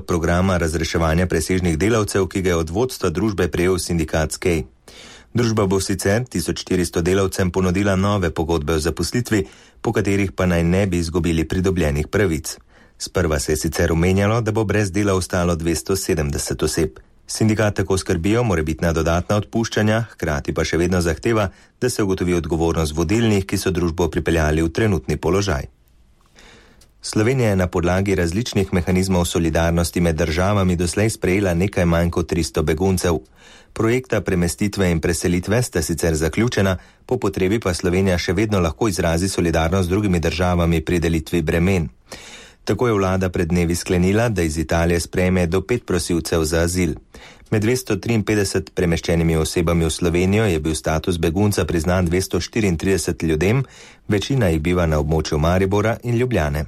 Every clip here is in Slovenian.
programa razreševanja presežnih delavcev, ki ga je od vodstva družbe prejel sindikat SKEJ. Družba bo sicer 1400 delavcem ponudila nove pogodbe o zaposlitvi, po katerih pa naj ne bi izgubili pridobljenih pravic. Sprva se je sicer omenjalo, da bo brez dela ostalo 270 oseb. Sindikat tako skrbijo morebitna dodatna odpuščanja, hkrati pa še vedno zahteva, da se ugotovi odgovornost vodilnih, ki so družbo pripeljali v trenutni položaj. Slovenija je na podlagi različnih mehanizmov solidarnosti med državami doslej sprejela nekaj manj kot 300 beguncev. Projekta premestitve in preselitve sta sicer zaključena, po potrebi pa Slovenija še vedno lahko izrazi solidarnost z drugimi državami pri delitvi bremen. Tako je vlada pred dnevi sklenila, da iz Italije sprejme do 5 prosilcev za azil. Med 253 premeščenimi osebami v Slovenijo je bil status begunca priznan 234 ljudem, večina jih biva na območju Maribora in Ljubljane.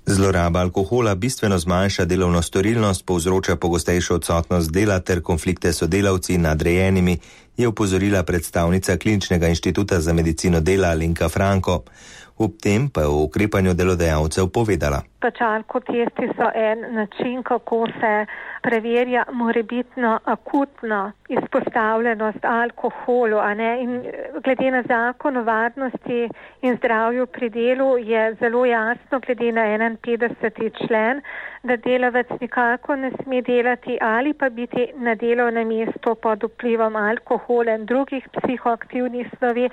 Zloraba alkohola bistveno zmanjša delovno storilnost, povzroča pogostejšo odsotnost dela ter konflikte s sodelavci in nadrejenimi, je opozorila predstavnica Kliničnega inštituta za medicino dela Alenka Franko. Ob tem pa je o ukrepanju delodajalcev povedala. Alkotesti so en način, kako se preverja morebitno akutno izpostavljenost alkoholu, a ne? In glede na zakon o varnosti in zdravju pri delu je zelo jasno, glede na 51. člen, da delavec nikako ne sme delati ali pa biti na delovnem mestu pod vplivom alkohola in drugih psihoaktivnih snovi.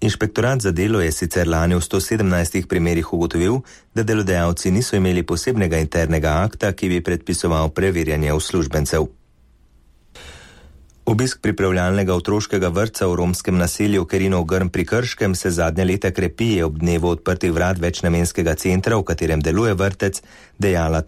Inšpektorat za delo je sicer lani v 117 primerih ugotovil, da delodajalci niso imeli posebnega internega akta, ki bi predpisoval preverjanje uslužbencev. Obisk pripravljalnega otroškega vrtca v romskem naselju Kerinov Grm pri Krškem se zadnja leta krepi, je ob dnevu odprtih vrat večnamenskega centra, v katerem deluje vrtec, dejala